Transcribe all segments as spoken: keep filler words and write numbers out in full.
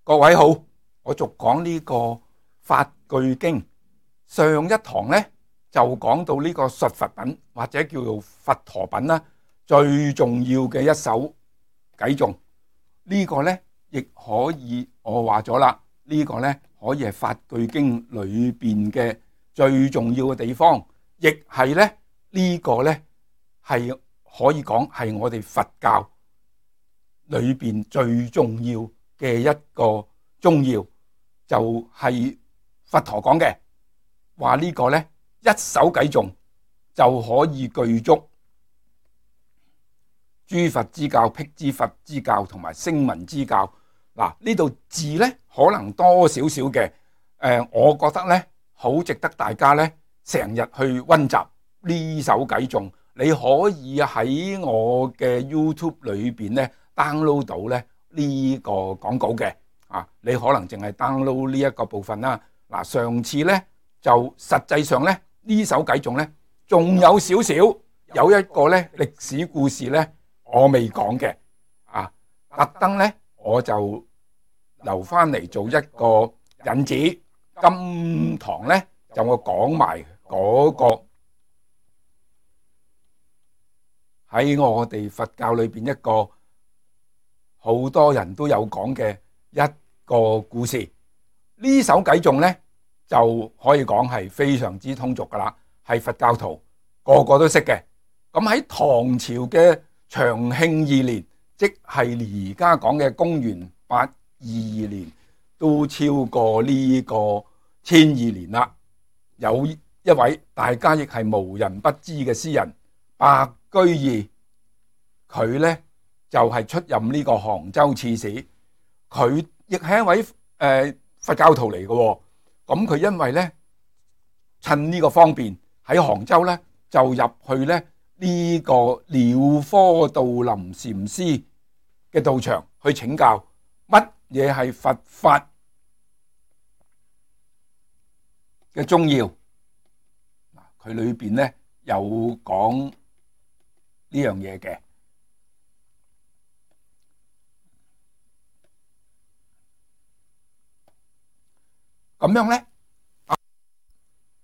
各位好，我續講呢個法句經。上一堂呢就講到呢個述佛品或者叫做佛陀品啦，最重要嘅一首偈頌。呢個呢亦可以我話咗啦，呢個呢可以係法句經裏邊嘅最重要嘅地方，亦係呢呢個呢係可以講係我哋佛教裏邊最重要嘅一個宗要，就係佛陀講嘅話，呢個呢一首偈頌就可以具足諸佛之教、辟支佛之教同埋聲聞之教。嗱，呢度字呢可能多少少嘅，誒，我覺得呢好值得大家呢成日去溫習呢首偈頌。你可以喺我嘅 YouTube 裏邊呢 download 到呢呢個講稿嘅，啊，你可能淨係 download 呢一個部分啦。嗱，上次呢就實際上呢呢首偈頌呢仲有少少有一個呢歷史故事呢我未講嘅，啊，特登呢我就留翻嚟做一個引子。今堂呢就我講埋嗰個喺我哋佛教裏邊一個好多人都有講嘅一個故事。呢首偈頌呢就可以講係非常之通俗噶啦，係佛教徒個個都識嘅。咁喺唐朝嘅長慶二年，即係而家講嘅公元八二二年，都超過呢個千二年啦。有一位大家亦係無人不知嘅詩人白居易，佢呢就係、是、出任呢個杭州刺史，佢亦係一位誒、呃、佛教徒嚟嘅。咁佢因為呢趁呢個方便喺杭州呢就入去呢呢、這個鳥科道林禪師嘅道場去請教乜嘢係佛法嘅宗要。佢裏邊呢有講呢樣嘢嘅。咁樣呢，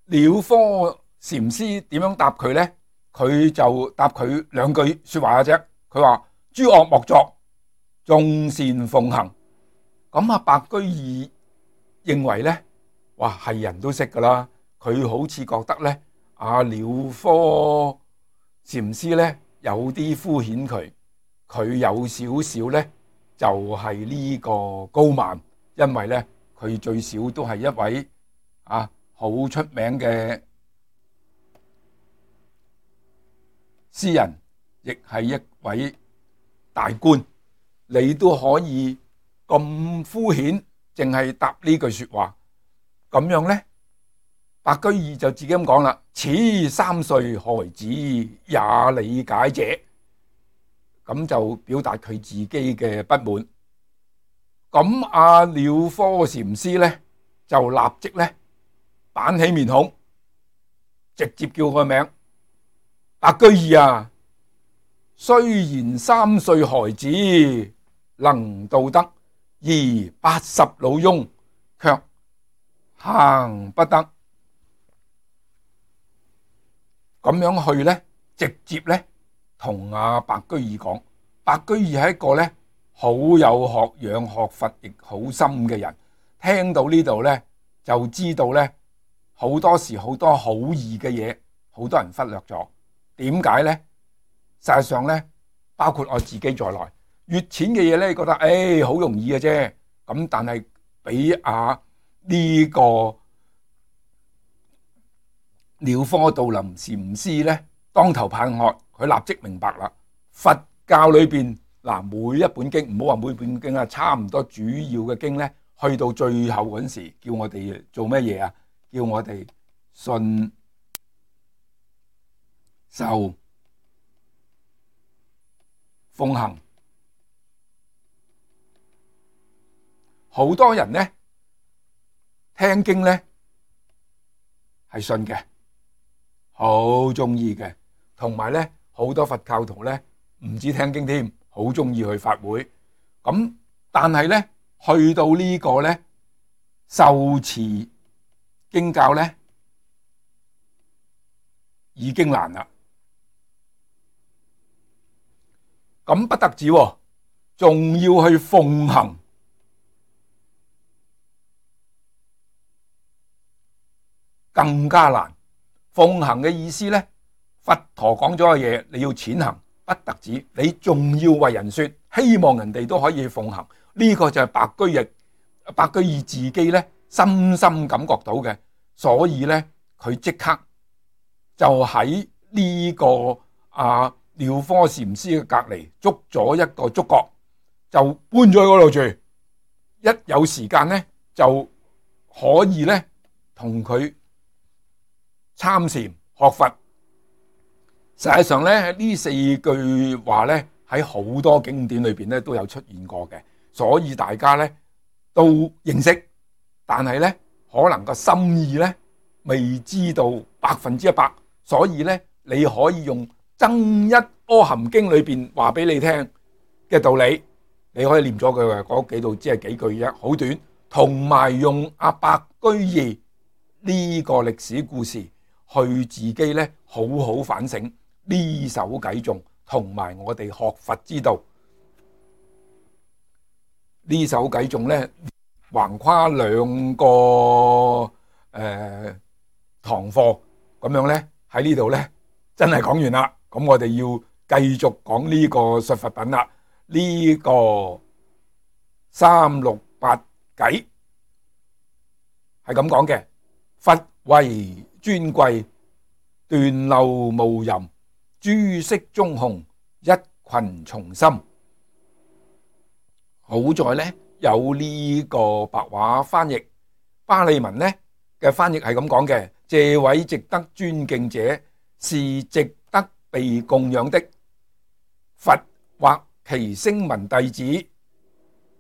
鳥科禪師點樣答佢呢？佢就答佢兩句說話嘅啫。佢話諸惡莫作，眾善奉行。咁啊，白居易認為呢，哇，係人都識噶啦。佢好似覺得呢，阿鳥科禪師呢有啲敷衍佢，佢有少少呢就係呢個高慢，因為呢佢最少都係一位啊好出名嘅詩人，亦係一位大官，你都可以咁敷衍，淨係答呢句說話。咁樣呢，白居易就自己咁講啦：此三歲孩子也理解者。咁就表達佢自己嘅不滿。咁阿鳥科禪師呢就立即呢板起面孔，直接叫個名：白居易啊，雖然三歲孩子能道德，而八十老翁卻行不得。咁樣去呢，直接呢同阿白居易講，白居易係一個呢好有學養、學佛亦好深嘅人。聽到呢度呢，就知道呢好多時好多好易嘅嘢，好多人忽略咗。點解呢？實際上呢，包括我自己在內，越淺嘅嘢呢，覺得誒好容易嘅啫。咁但係俾阿呢個鳥科道林禪師呢當頭棒喝，佢立即明白啦。佛教裏邊嗱，每一本經，唔好話每本經啊，差唔多主要嘅經呢，去到最後嗰陣時，叫我哋做乜嘢啊？叫我哋信受奉行。好多人呢聽經呢係信嘅，好中意嘅，同埋呢好多佛教徒呢唔止聽經添，好中意去法會。咁但係呢去到呢個咧受持經教咧已經難啦。咁不得止，仲要去奉行，更加難。奉行嘅意思咧，佛陀講咗嘅嘢，你要踐行，不得止，你仲要為人說，希望人哋都可以奉行。呢個就係白居易，白居易自己咧深深感覺到嘅，所以咧佢即刻就喺呢個啊廖科禪師嘅隔籬捉咗一個竹閣，就搬咗去嗰度住。一有時間咧就可以咧同佢參禪學佛。實際上咧呢四句話咧喺好多經典裏邊咧都有出現過嘅，所以大家咧都認識，但係咧可能個心意咧未知道百分之一百，所以咧你可以用增一阿含經裏邊話俾你聽嘅道理，你可以念咗佢嗰幾度，只係幾句啫，好短。同埋用阿白居易呢個歷史故事去自己咧好好反省呢首偈頌，同埋我哋學佛之道。呢首偈頌咧橫跨兩個誒、呃、堂課咁樣咧，喺呢度咧真係講完啦。咁我哋要繼續講呢個述佛品啦。呢、這個三六八偈係咁講嘅：佛為尊貴，斷漏無�淫，諸色中紅，一群從心。好在咧有呢個白話翻譯，巴利文咧嘅翻譯係咁講嘅：這位值得尊敬者，是值得被供養的。佛或其聲聞弟子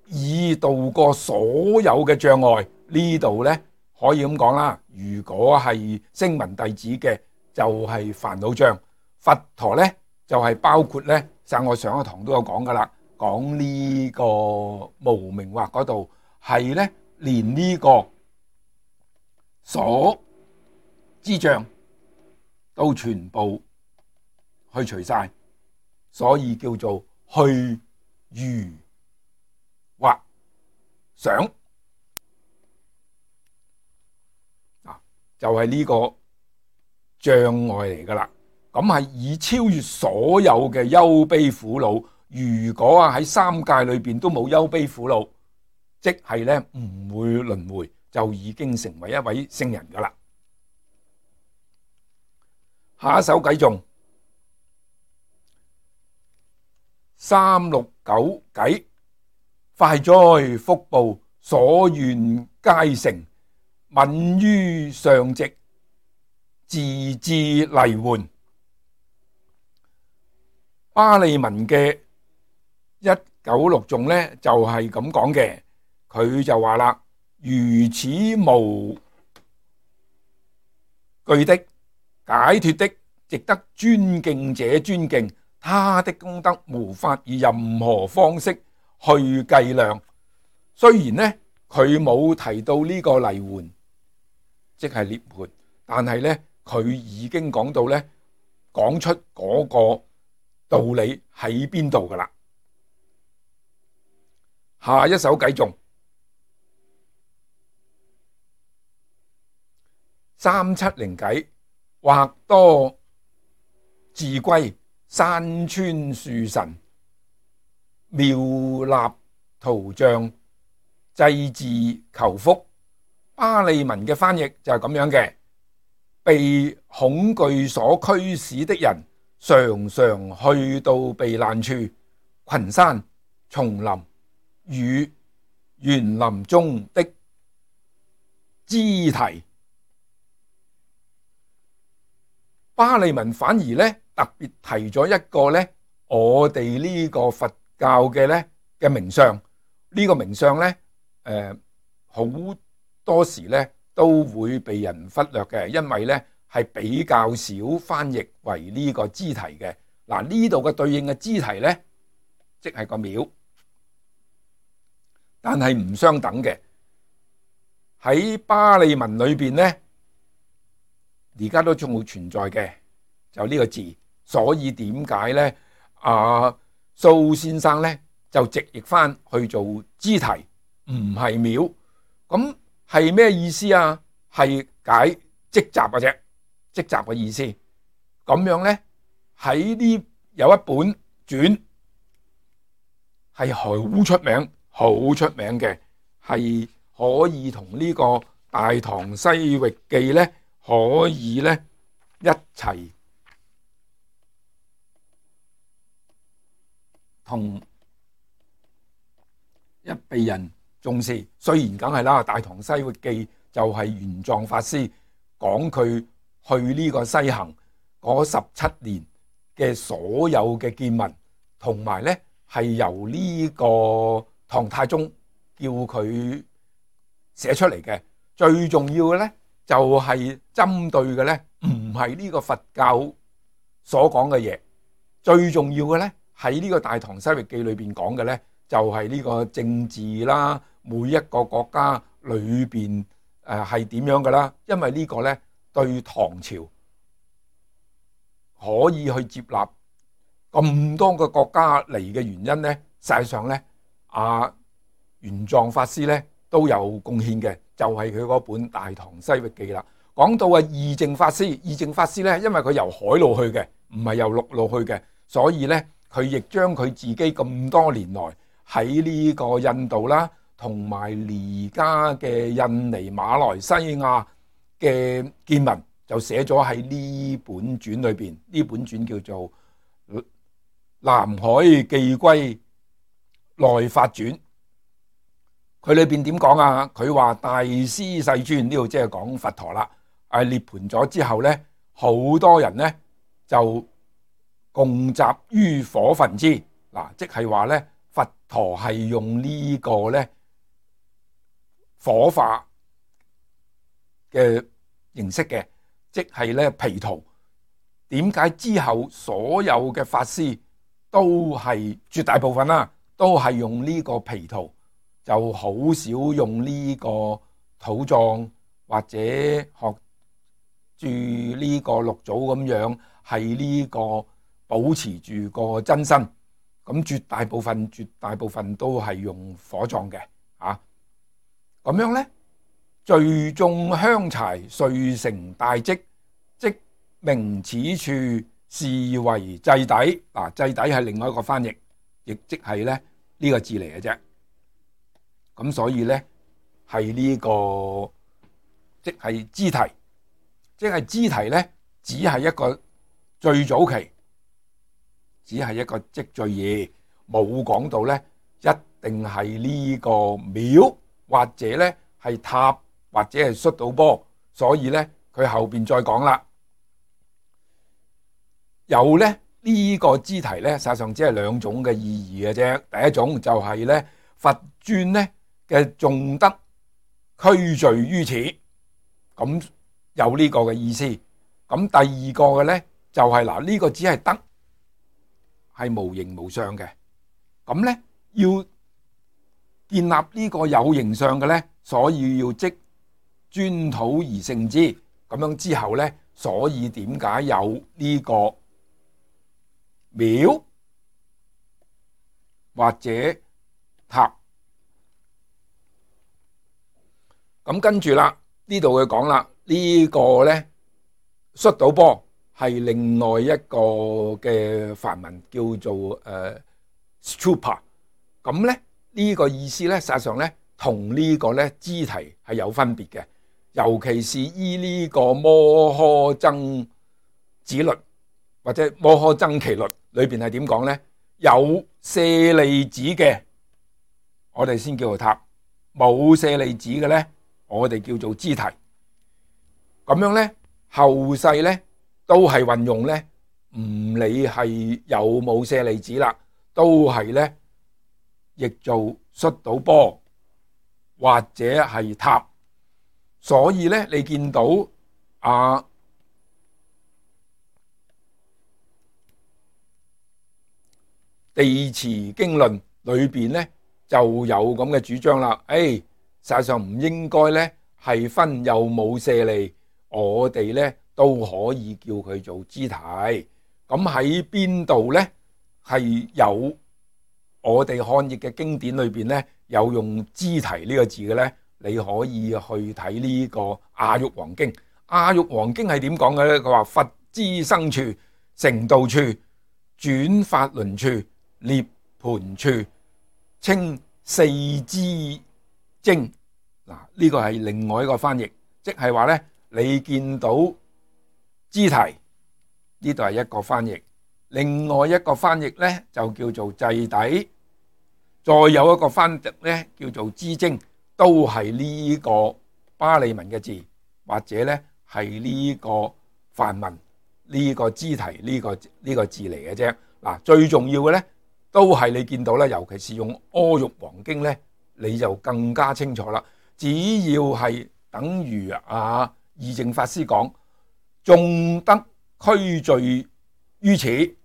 已渡過所有嘅障礙。呢度咧可以咁講啦，如果係聲聞弟子嘅就係煩惱障，佛陀咧就係包括咧，就我上一堂都有講噶啦，講呢個無明惑嗰度係咧連呢個所知障都全部去除晒，所以叫做去如惑想啊，就係呢個障礙嚟噶啦。咁係以超越所有嘅憂悲苦惱。如果啊喺三界裏邊都冇憂悲苦惱，即係咧唔會輪迴，就已經成為一位聖人噶啦。下一首偈頌三六九偈：快哉福報，所願皆成，敏於上寂，自致泥換。巴利文嘅一九六頌咧就係咁講嘅，佢就話啦：如此無懼的、解脫的、值得尊敬者尊敬，他的功德無法以任何方式去計量。雖然呢佢冇提到呢個泥換，即係涅槃，但係呢佢已經講到呢，講出嗰個道理喺邊度噶啦。下一首偈頌三七零偈：或多自歸，山川樹神，妙立圖像，祭祀求福。巴利文嘅翻譯就係咁樣嘅：被恐懼所驅使的人，常常去到避難處，群山、叢林與園林中的枝堤。巴利文反而咧特別提咗一個咧，我哋呢個佛教嘅咧嘅名相，呢、這個名相咧誒好多時咧都會被人忽略嘅，因為咧係比較少翻譯為呢個支提嘅。嗱，呢度嘅對應嘅支提咧，即係個廟。但係唔相等嘅。喺巴利文裏邊呢，而家都仲會存在嘅，就呢個字。所以點解呢？阿蘇先生呢就直譯翻去做支提，唔係廟。咁係咩意思啊？係解積集嘅啫，積集嘅意思。咁樣呢，喺呢有一本傳係好出名、好出名嘅，係可以同呢個《大唐西域記》呢可以呢一齊同一被人重視。雖然梗係啦，《大唐西域記》就係玄奘法師講佢去呢個西行嗰十七年嘅所有嘅見聞，同埋呢係由呢個唐太宗叫佢寫出嚟嘅。最重要嘅呢就係針對嘅呢唔係呢個佛教所講嘅嘢，最重要嘅呢喺呢個《大唐西域記》裏邊講嘅呢就係呢個政治啦，每一個國家裏邊誒係點樣噶啦。因為呢個呢對唐朝可以去接納咁多個國家嚟嘅原因呢，實際上呢，阿玄奘法師呢都有貢獻嘅，就係佢嗰本《大唐西域記》啦。講到啊，義淨法師，義淨法師呢，因為佢由海路去嘅，唔係由陸路去嘅，所以呢，佢亦將佢自己咁多年來喺呢個印度啦，同埋而家嘅印尼、馬來西亞嘅見聞，就寫咗喺呢本傳裏邊。呢本傳叫做《南海寄歸內法傳》。佢裏邊點講啊？佢話大師世尊，呢度即係講佛陀啦。誒，涅槃咗之後呢，好多人呢就共集於火焚之。嗱，即係話呢，佛陀係用呢個呢火化嘅形式嘅，即係呢毗荼。點解之後所有嘅法師都係絕大部分啦，都係用呢個毗荼，就好少用呢個土葬或者學住呢個六祖咁樣，係呢個保持住個真身。咁絕大部分絕大部分都係用火葬嘅啊。咁樣呢，聚眾香柴，遂成大積，即名此處是為祭底。嗱，祭底係另外一個翻譯，亦即係咧呢個字嚟嘅啫。咁所以呢，係呢個即係支提，即係支提呢，只係一個最早期，只係一個積聚義，冇講到呢一定係呢個廟或者呢係塔或者係摔倒波。所以呢，佢後邊再講啦，有呢呢個支提呢，實際上只係兩種嘅意義嘅啫。第一種就係呢佛尊呢嘅重德俱聚於此，咁有呢個嘅意思。咁第二個嘅呢就係嗱，呢個只係德，係無形無相嘅。咁呢要建立呢個有形相嘅呢，所以要即尊土而成之。咁樣之後呢，所以點解有呢個廟或者塔？咁跟住啦，呢度佢講啦，呢個呢摔倒波係另外一個嘅梵文叫做誒 stupa。咁咧呢個意思呢，實際上呢同呢個呢支提係有分別嘅，尤其是依呢個摩訶僧祇律或者摩訶僧祇律裏邊係點講呢？有舍利子嘅，我哋先叫做塔；冇舍利子嘅呢，我哋叫做支提。咁樣呢，後世呢都係運用呢，唔理係有冇舍利子啦，都係呢譯做摔倒波或者係塔。所以呢，你見到啊地持經論裏邊呢，就有咁嘅主張啦。誒，實際上唔應該呢係分有冇舍利，我哋呢都可以叫佢做支提。咁喺邊度呢？係有我哋漢譯嘅經典裏邊呢，有用支提呢個字嘅呢，你可以去睇呢個阿育王經。阿育王經係點講嘅呢？佢話佛之生處、成道處、轉法輪處、涅槃處，稱四支經。嗱，呢個係另外一個翻譯，即係話呢，你見到支提呢度係一個翻譯，另外一個翻譯呢就叫做祭底，再有一個翻譯呢叫做支經，都係呢個巴利文嘅字，或者呢係呢個梵文呢個支提呢個呢個字嚟嘅啫。嗱，最重要嘅呢都係你見到咧，尤其是用阿育王經呢，你就更加清楚啦。只要係等於啊義淨法師講，眾得俱聚於此，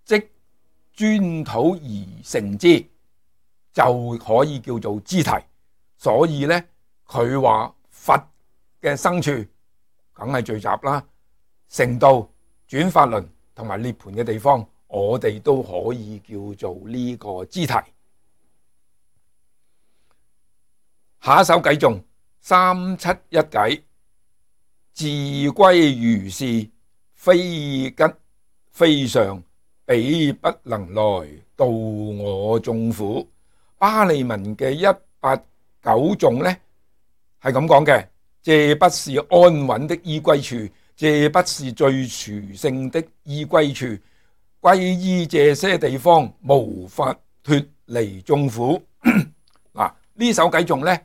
即專土而成之，就可以叫做支提。所以呢，佢話佛嘅生處梗係聚集啦，成道、轉法輪同埋涅槃嘅地方，我哋都可以叫做呢個支提。下一首偈頌三七一偈，自歸如是，非吉非上，彼不能來度我眾苦。巴利文嘅一八九頌呢係咁講嘅，這不是安穩的依歸處，這不是最殊勝的依歸處，歸依這些地方，無法脫離眾苦。嗱，呢首偈頌呢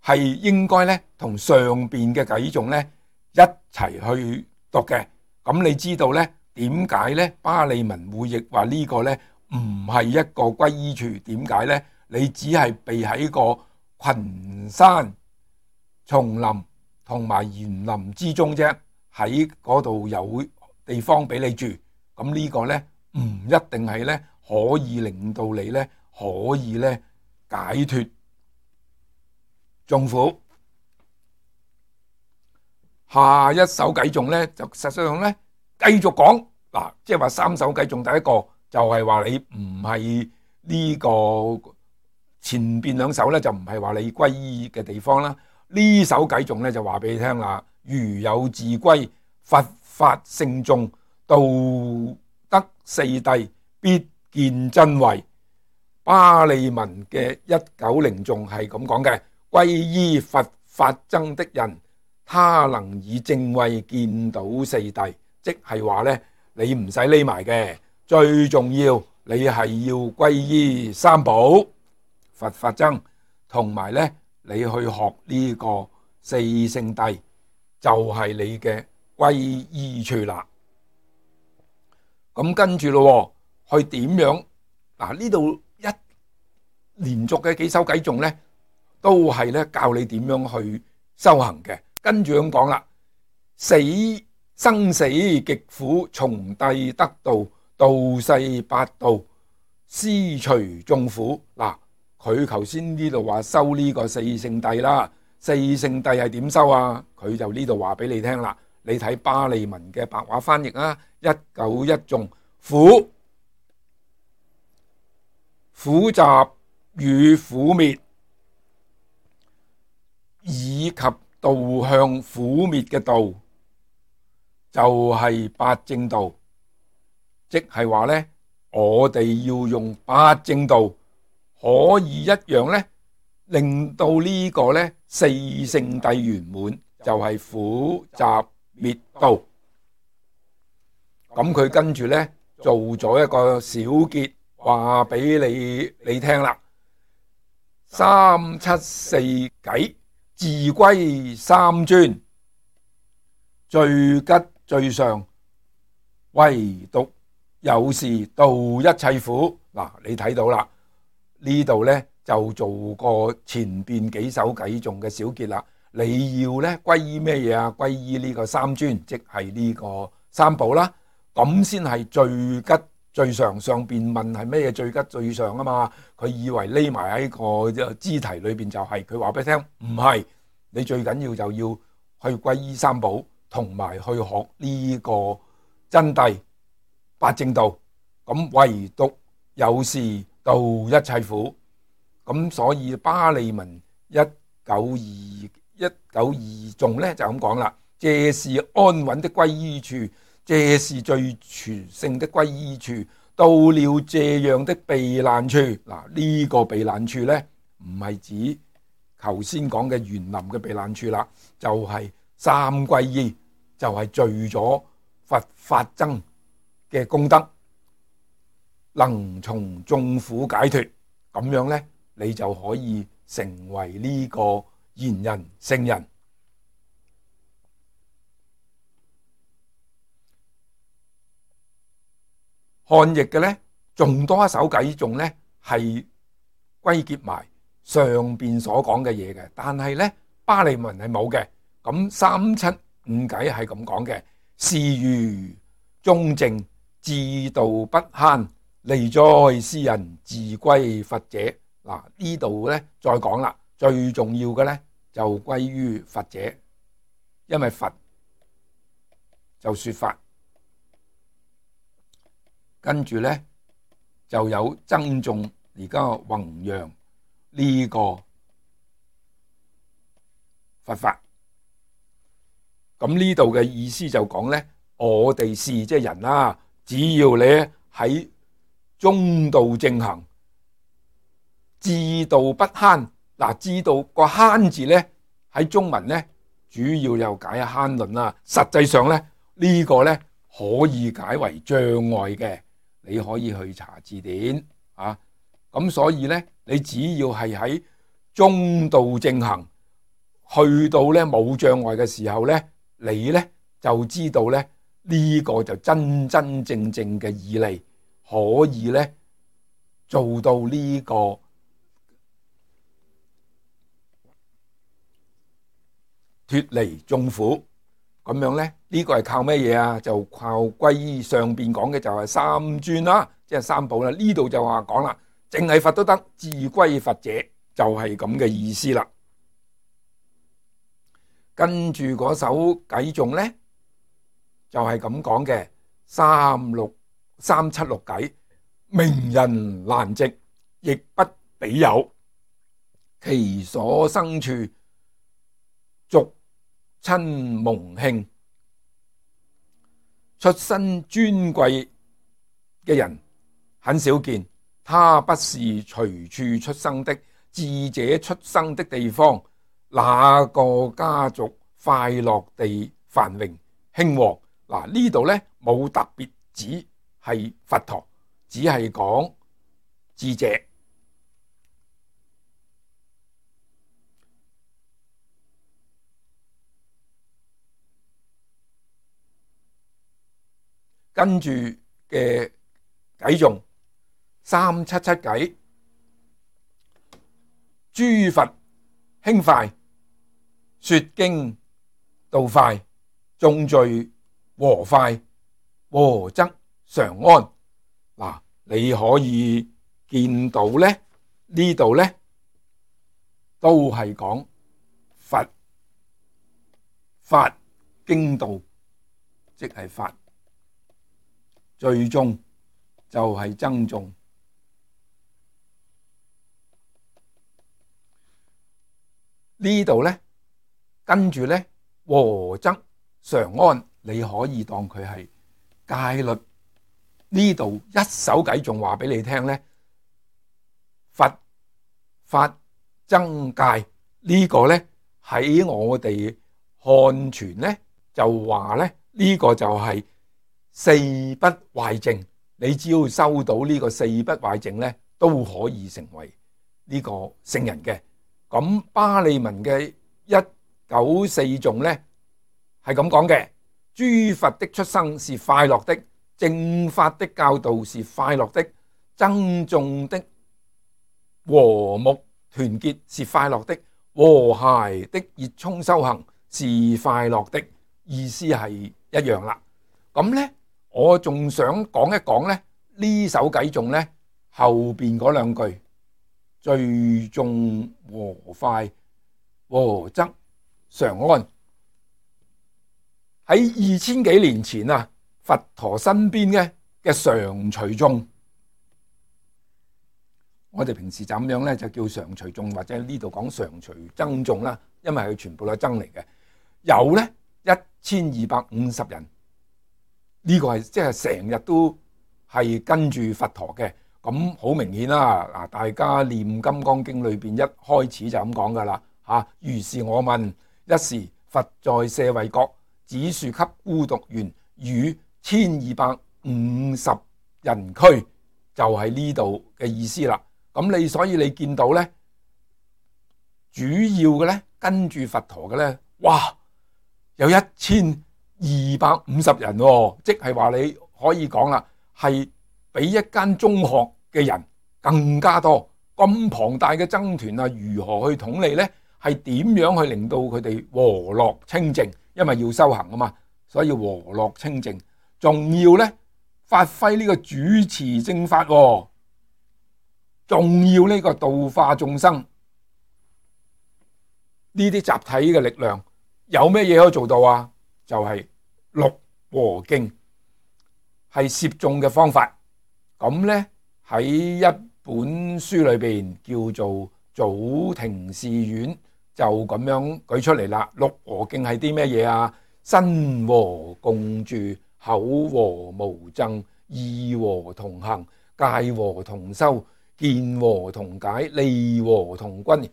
係應該咧同上邊嘅偈頌咧一齊去讀嘅。咁你知道咧點解咧巴利文會譯話呢個咧唔係一個歸依處？點解咧？你只係避喺個群山叢林同埋園林之中啫，喺嗰度有地方俾你住。咁呢個咧唔一定係咧可以令到你咧可以咧解脫眾苦。下一首偈頌咧就實際上咧繼續講嗱，即係話三首偈頌，第一個就係話你唔係呢個前邊兩首咧就唔係話你歸依嘅地方啦。呢首偈頌咧就話俾你聽啦，如有自歸，佛法聖眾，道德四諦，必見真慧。巴利文嘅一九零頌係咁講嘅，歸依佛法僧的人，他能以正慧見到四諦。即係話咧，你唔使匿埋嘅，最重要你係要歸依三寶佛法僧，同埋咧你去學呢個四聖諦，就係你嘅歸依處啦。咁跟住咯，去點樣？嗱，呢度一連續嘅幾首偈頌咧，都係咧教你點樣去修行嘅。跟住咁講啦，死生死極苦，從諦得道，道世八道，施除眾苦。嗱，佢頭先呢度話修呢個四聖諦啦，四聖諦係點修啊？佢就呢度話俾你聽啦。你睇巴利文嘅白話翻譯啊，一九一頌，苦苦集與苦滅，以及導向苦滅嘅道，就係八正道。即係話呢，我哋要用八正道，可以一樣呢，令到呢個呢四聖諦圓滿，就係苦集滅道。咁佢跟住呢做咗一個小結，話俾你你聽啦。三七四偈，自歸三尊，最吉最上，唯獨有事度一切苦。嗱，你睇到啦，呢度呢就做過前邊幾首偈頌嘅小結啦。你要呢歸依咩嘢啊？歸依呢個三尊，即係呢個三寶啦，咁先係最吉最上，上邊問係咩最吉最上啊嘛，佢以為匿埋喺個支題裏邊就係、是，佢話俾你聽唔係，你最緊要就要去皈依三寶，同埋去學呢個真諦八正道，咁唯獨有事度一切苦。咁所以巴利文一九二一九二頌咧就咁講啦，這是安穩的皈依處，這是最殊勝的皈依處，到了這樣的避難處。嗱，呢個避難處咧唔係指頭先講嘅園林嘅避難處啦，就係、是、三皈依，就係、是、聚咗佛法僧嘅功德，能從眾苦解脫，咁樣咧你就可以成為呢個賢人聖人。漢譯嘅咧，仲多一首偈頌咧，係歸結埋上邊所講嘅嘢嘅，但係咧巴利文係冇嘅。咁三七五偈係咁講嘅：是如中正志道不慳，利哉斯人自歸佛者。嗱，呢度咧再講啦，最重要嘅咧就歸於佛者，因為佛就說法。跟住咧就有僧眾而家弘揚呢個佛法。咁呢度嘅意思就講咧，我哋是即係人啦，只要你喺中道正行，志道不慳。嗱，志道個慳字咧喺中文咧主要又解慳論啦，實際上咧呢個咧可以解為障礙嘅。你可以去查字典啊，咁所以咧，你只要係喺中道正行，去到咧冇障礙嘅時候咧，你咧就知道咧呢個就真真正正嘅義利，可以咧做到呢個脫離眾苦。咁樣咧，呢個係靠咩嘢啊？就靠皈依上邊講嘅就係三尊啦，即係三寶啦。呢度就話講啦，淨係佛都得，自歸佛者就係咁嘅意思啦。跟住嗰首偈頌咧，就係咁講嘅，三六三七六偈，名人難值，亦不比有，其所生處，俗親蒙慶，出身尊貴嘅人很少見，他不是隨處出生的，智者出生的地方，那個家族快樂地繁榮興旺。嗱，呢度咧冇特別指係佛陀，只係講智者。跟住嘅偈頌三七七偈，諸佛興快，說經道快，眾聚和快，和則常安。嗱，你可以見到咧，呢度咧都係講佛法經道，即係法。最終就係僧眾。呢度咧，跟住咧和則常安，你可以當佢係戒律。呢度一首偈仲話俾你聽咧，佛法僧戒呢個咧喺我哋漢傳咧就話咧呢個就係四不壞淨，你只要收到呢個四不壞淨咧，都可以成為呢個聖人嘅。咁巴利文嘅一九四頌咧係咁講嘅：諸佛的出生是快樂的，正法的教導是快樂的，僧眾的和睦團結是快樂的，和諧的熱衷修行是快樂的。意思係一樣啦。咁咧我仲想講一講咧，呢首偈頌呢，後邊嗰兩句最重和快，和則常安。喺二千幾年前啊，佛陀身邊嘅嘅常隨眾，我哋平時就咁樣咧，就叫常隨眾，或者呢度講常隨僧眾啦，因為佢全部都係僧嚟嘅。有咧一千二百五十人，呢、這個係即係成日都係跟住佛陀嘅。咁好明顯啦，嗱，大家念《金剛經》裏邊一開始就咁講噶啦嚇。如是我聞，一時佛在舍衛國，只樹給孤獨園，與千二百五十人俱，就係呢度嘅意思啦。咁你所以你見到咧，主要嘅咧跟住佛陀嘅咧，哇，有一千二百五十人喎，即係話你可以講啦，係比一間中學嘅人更加多。咁龐大嘅僧團啊，如何去統理咧？係點樣去令到佢哋和樂清淨？因為要修行啊嘛，所以和樂清淨，仲要咧發揮呢個主持正法，仲要呢個度化眾生。呢啲集體嘅力量有咩嘢可以做到啊？就係六和敬，係攝眾嘅方法。咁咧喺一本書裏邊叫做祖庭寺院，就咁樣舉出嚟啦。六和敬係啲咩嘢啊？身和共住，口和無爭，意和同行，戒和同修，見和同解，利和同均。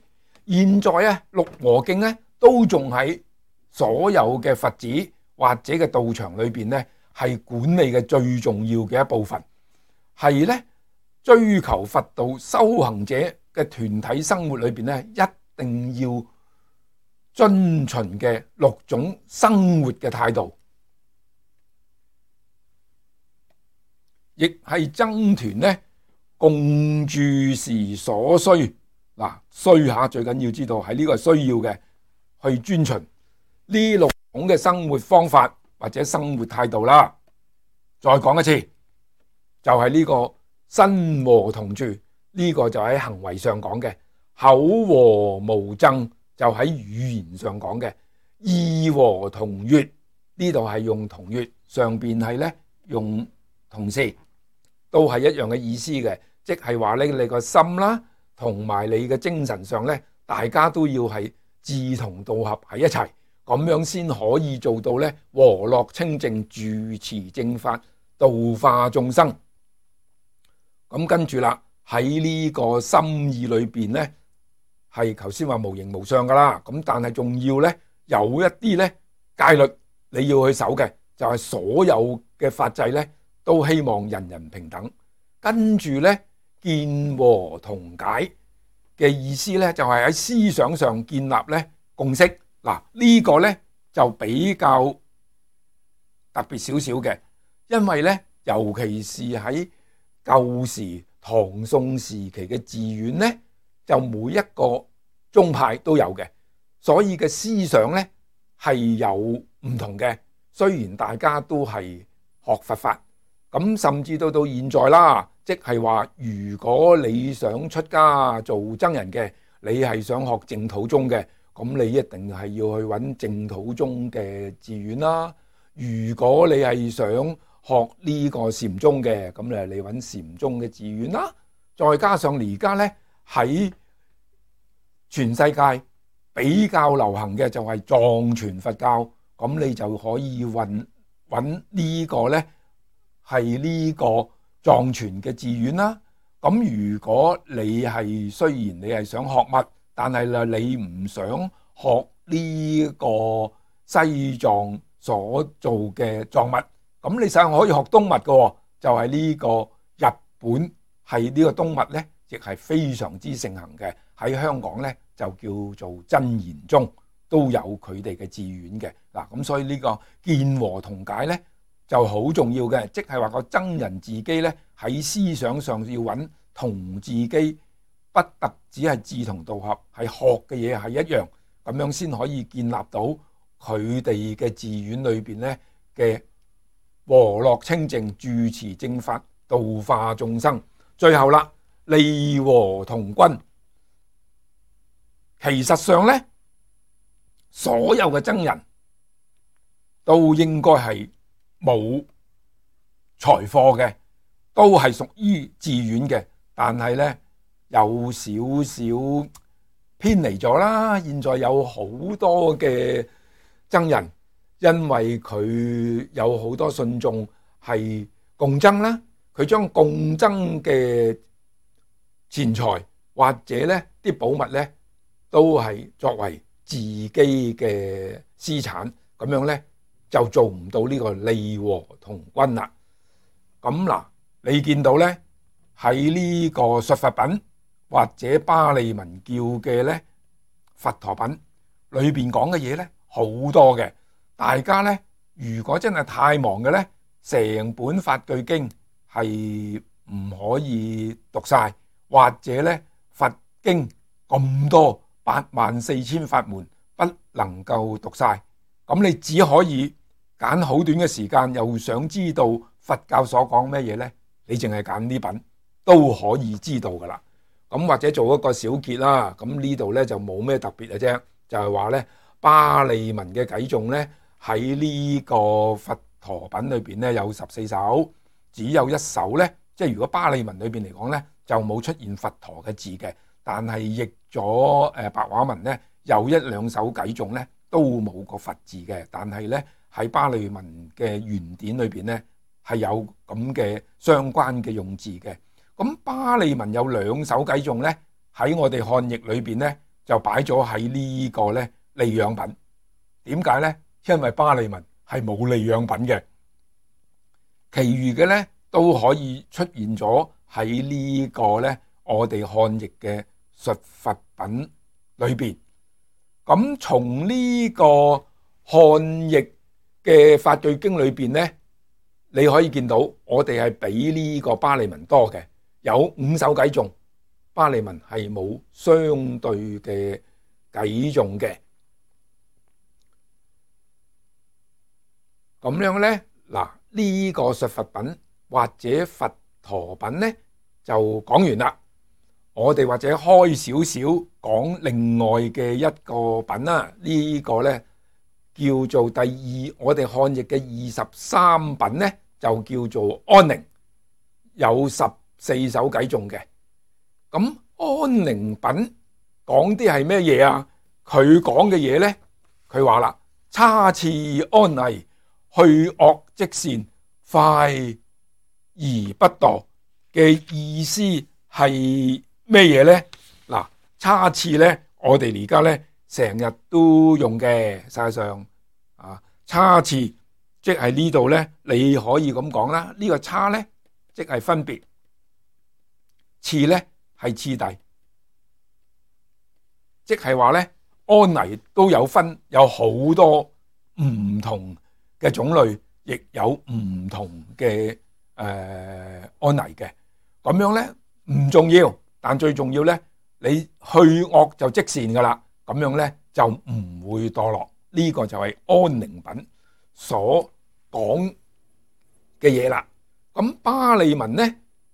現在啊，六和敬咧都仲喺所有嘅佛寺或者嘅道場裏邊咧，係管理嘅最重要嘅一部分，係咧追求佛道修行者嘅團體生活裏邊咧，一定要遵循嘅六種生活嘅態度，亦係僧團咧共住時所需。嗱，需下最緊要知道係呢個需要嘅，去遵循呢六種嘅生活方法或者生活態度啦。再講一次，就係呢個身和同住，呢個就喺行為上講嘅；口和無爭，就喺語言上講嘅；意和同悅，呢度係用同悅，上邊係咧用同事，都係一樣嘅意思嘅，即係話咧你個心啦，同埋你嘅精神上咧，大家都要係志同道合喺一齊，咁樣先可以做到咧和樂清淨，住持正法，度化眾生。咁跟住啦，喺呢個心意裏邊咧，係頭先話無形無相噶啦，咁但係仲要咧有一啲咧戒律你要去守嘅，就係所有嘅法制咧都希望人人平等。跟住咧見和同解嘅意思咧，就係喺思想上建立咧共識。嗱，呢個咧就比較特別少少嘅，因為咧尤其是喺舊時唐宋時期嘅寺院咧，就每一個宗派都有嘅，所以嘅思想咧係有唔同嘅。雖然大家都係學佛法，咁甚至到到現在啦，即係話如果你想出家做僧人嘅，你係想學淨土宗嘅，咁你一定係要去揾淨土宗嘅寺院啦。如果你係想學呢個禪宗嘅，咁你你揾禪宗嘅寺院啦。再加上而家咧喺全世界比較流行嘅就係藏傳佛教，咁你就可以揾揾呢個咧係呢個藏傳嘅寺院啦。咁如果你係雖然你係想學物，但係啦你唔想學呢個西藏所做嘅藏物，咁你實可以學東物嘅，就係呢個日本係呢個東物咧，亦係非常之盛行嘅。喺香港咧就叫做真言宗，都有佢哋嘅寺院嘅。嗱，咁所以呢個見和同解咧就好重要嘅，即係話個僧人自己咧喺思想上要揾同自己不特只係志同道合，係學嘅嘢係一樣，咁樣先可以建立到佢哋嘅寺院裏邊咧嘅和樂清淨、住持正法、度化眾生。最後啦，利和同君。其實上咧，所有嘅僧人都應該係冇財貨嘅，都係屬於寺院嘅，但係咧有少少偏離咗啦。現在有好多嘅僧人，因為佢有好多信眾係共僧啦，佢將共僧嘅錢財或者咧啲寶物咧，都係作為自己嘅私產，咁樣咧就做唔到呢個利和同君啦。咁嗱，你見到咧喺呢個述佛品或者巴利文叫嘅咧佛陀品裏邊講嘅嘢咧好多嘅，大家咧如果真係太忙嘅咧，成本法句經係唔可以讀晒，或者咧佛經咁多八萬四千法門不能夠讀晒，咁你只可以揀好短嘅時間，又想知道佛教所講咩嘢呢？你淨係揀呢品都可以知道噶啦。咁或者做一個小結啦，咁呢度呢就冇咩特別嘅啫，就係話呢巴利文嘅偈頌呢喺呢個佛陀品裏邊呢有十四首，只有一首呢，即係如果巴利文裏邊嚟講呢就冇出現佛陀嘅字嘅，但係譯咗誒白話文呢有一兩首偈頌呢都冇個佛字嘅，但係呢喺巴利文嘅原典裏邊呢係有咁嘅相關嘅用字嘅。咁巴利文有兩首偈頌呢喺我哋漢譯裏邊呢就擺咗喺呢個呢利養品。點解呢？因為巴利文係冇利養品嘅，其餘嘅呢都可以出現咗喺呢個呢我哋漢譯嘅述佛品裏邊。咁從呢個漢譯嘅法句經裏邊呢，你可以見到我哋係比呢個巴利文多嘅，有五首偈頌，巴利文係冇相對嘅偈頌嘅。咁樣呢，嗱呢個述佛品或者佛陀品呢就講完啦。我哋或者開少少講另外嘅一個品啦，呢、這個呢叫做第二，我哋漢譯嘅二十三品呢就叫做安寧，有十四首偈頌嘅。咁安寧品講啲係咩嘢啊？佢講嘅嘢呢，佢話啦，差次安危，去惡即善，快而不墮嘅意思係咩嘢呢？嗱，差次呢，我哋而家呢成日都用嘅，實際上啊，差次即係呢度呢，你可以咁講啦。呢個差呢，即係分別，次呢係次第，即係話呢，安危都有分，有好多唔同嘅種類，亦有唔同嘅誒、呃、安危嘅。咁樣呢唔重要。但最重要呢，你去惡就即善噶啦，咁樣呢就唔會墮落。呢、這個就係安寧品所講嘅嘢啦。咁巴利文呢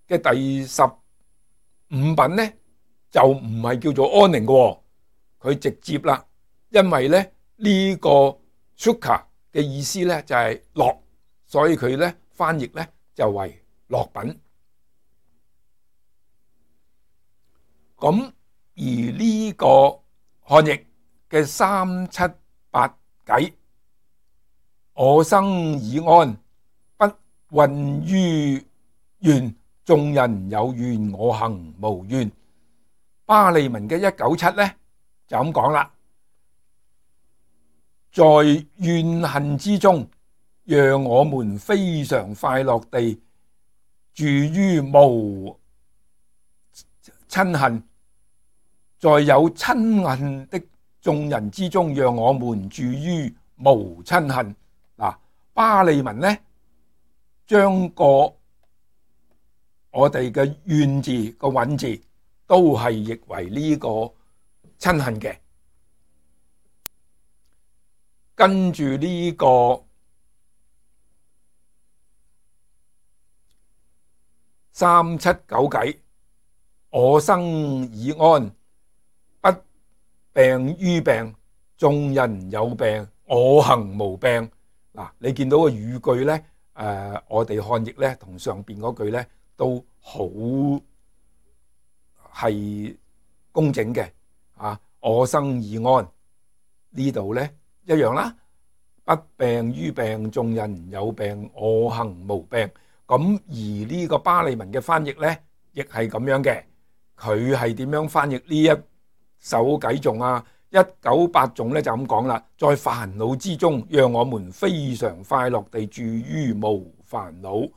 嘅第十五品呢就唔係叫做安寧嘅，佢直接啦，因為咧呢、這個 sukha 嘅意思呢就係樂，所以佢呢翻譯呢就為樂品。咁而呢個漢譯嘅三七八偈，我生已安，不困於怨，眾人有怨，我行無怨。巴利文嘅一九七呢就咁講啦，在怨恨之中，讓我們非常快樂地住於無親恨，在有親恨的眾人之中，讓我們住於無親恨。嗱，巴利文呢將個我哋嘅怨字個韻字都係譯為呢個親恨嘅。跟住呢個三七九偈，我生已安，不病於病，眾人有病，我行無病。嗱，你見到個語句咧，誒、呃，我哋漢譯咧同上邊嗰句咧都好係工整嘅啊！我生已安，呢度咧一樣啦，不病於病，眾人有病，我行無病。咁而呢個巴利文嘅翻譯咧，亦係咁樣嘅。佢係點樣翻譯呢一首偈頌啊？一九八頌咧就咁講啦，在煩惱之中，讓我們非常快樂地住於無煩惱；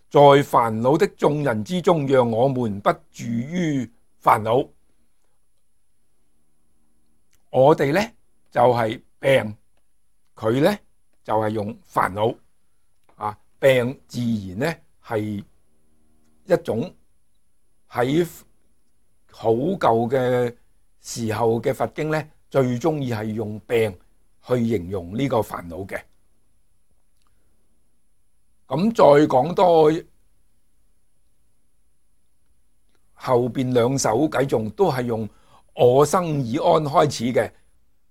在煩惱的眾人之中，讓我們不住於煩惱。我哋咧就係、是、病，佢咧就係、是、用煩惱啊。病自然咧係一種喺好舊嘅時候嘅佛經咧，最中意係用病去形容呢個煩惱嘅。咁再講多後邊兩首偈頌都係用我生已安開始嘅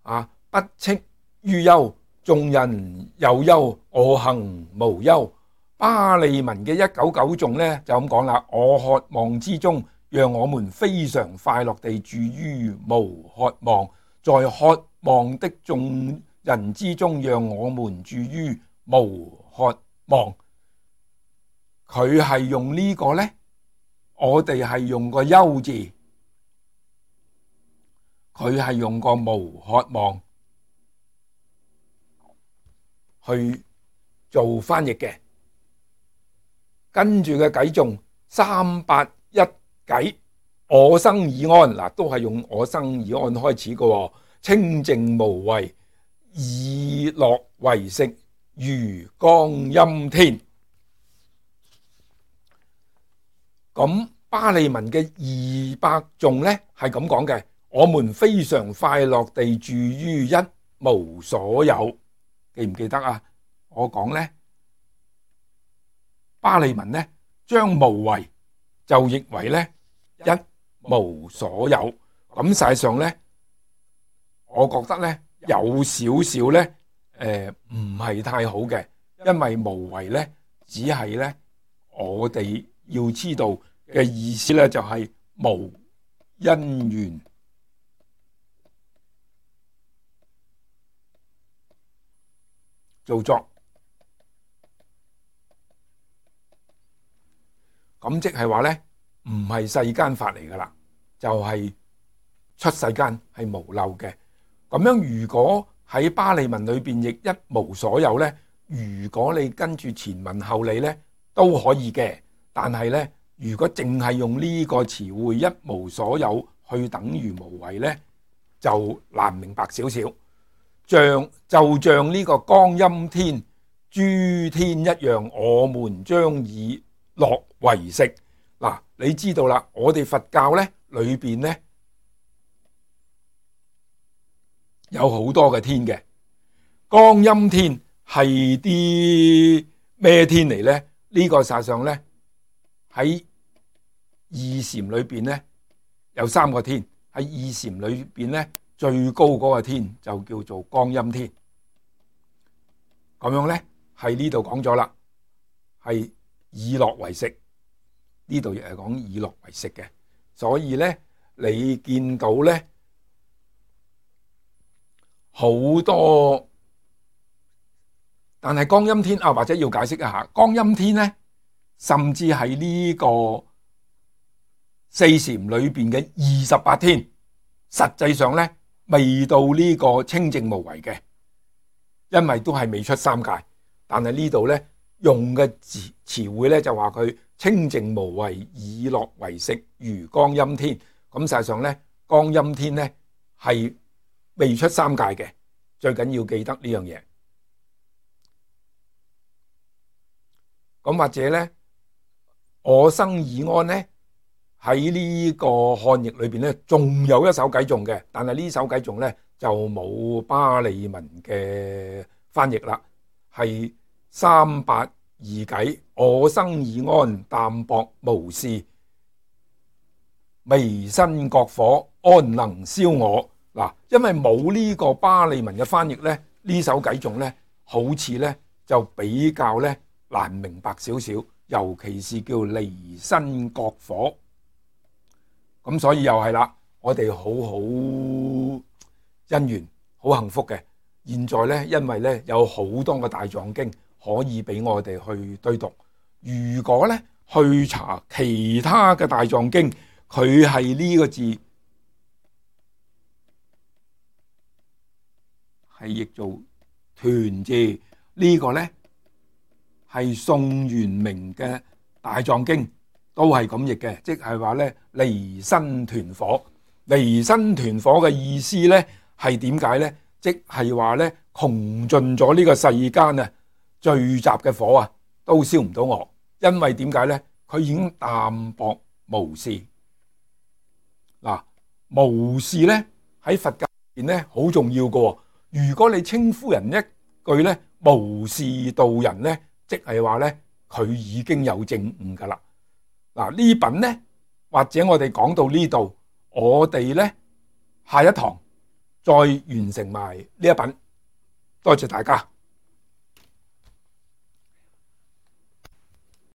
啊，不戚於憂，眾人有憂，我行無憂。巴利文嘅一九九頌咧就咁講啦，我渴望之中，讓我們非常快樂地住於無渴望；在渴望的眾人之中，讓我們住於無渴望。佢係用呢個咧，我哋係用個憂字，佢係用個無渴望去做翻譯嘅。跟住嘅偈頌三八一偈，我生已安，嗱都係用我生已安開始嘅，清淨無為，以樂為食，如光陰天。咁巴利文嘅二百頌咧係咁講嘅，我們非常快樂地住於一無所有。記唔記得啊？我講咧巴利文咧將無為就譯為咧一無所有。咁實際上咧，我覺得咧有少少咧誒唔係太好嘅，因為無為咧只係咧我哋要知道嘅意思咧就係無因緣造作，咁即係話咧唔係世間法嚟噶啦，就係出世間係無漏嘅。咁樣如果喺巴利文裏邊譯一無所有咧，如果你跟住前文後理咧都可以嘅，但係咧如果淨係用呢個詞彙一無所有去等於無為咧，就難明白少少。像就像呢個光陰天，諸天一樣，我們將以樂為食。嗱，你知道啦，我哋佛教咧裏邊咧有好多嘅天嘅，光陰天係啲咩天嚟咧？呢個實際上咧喺二禪裏邊咧有三個天，喺二禪裏邊咧最高嗰個天就叫做光陰天。咁樣咧喺呢度講咗啦，係以樂為食，呢度亦係講以樂為食嘅。所以咧你見到咧好多，但係光陰天啊，或者要解釋一下，光陰天咧甚至係呢個四禪裏邊嘅二十八天，實際上咧未到呢個清淨無為嘅，因為都係未出三界。但係呢度咧用嘅詞詞彙咧就話佢清淨無為，以樂為食，如光陰天。咁實際上咧光陰天咧係未出三界嘅，最緊要記得呢樣嘢。咁或者咧我生已安咧喺呢個漢譯裏邊咧仲有一首偈頌嘅，但係呢首偈頌咧就冇巴利文嘅翻譯啦，係三八二偈，我生已安，淡泊無事，微生國火，安能燒我？嗱，因為冇呢個巴利文嘅翻譯咧，呢首偈頌咧，好似咧就比較咧難明白少少，尤其是叫離生國火。咁所以又係啦，我哋好好姻緣，好幸福嘅。現在咧，因為咧有好多個大藏經可以俾我哋去對讀。如果咧去查其他嘅大藏經，佢係呢個字係譯做團字，呢個咧係宋元明嘅大藏經都係咁譯嘅，即係話咧離生團火。離生團火嘅意思咧係點解咧？即係話咧窮盡咗呢個世間啊聚集嘅火啊，都燒唔到我，因為點解咧？佢已經淡泊無事。嗱，無事咧喺佛教入邊咧好重要嘅。如果你稱呼人一句咧無事度人咧，即係話咧佢已經有證悟噶啦。嗱，呢品咧或者我哋講到呢度，我哋咧下一堂再完成埋呢一品。多謝大家。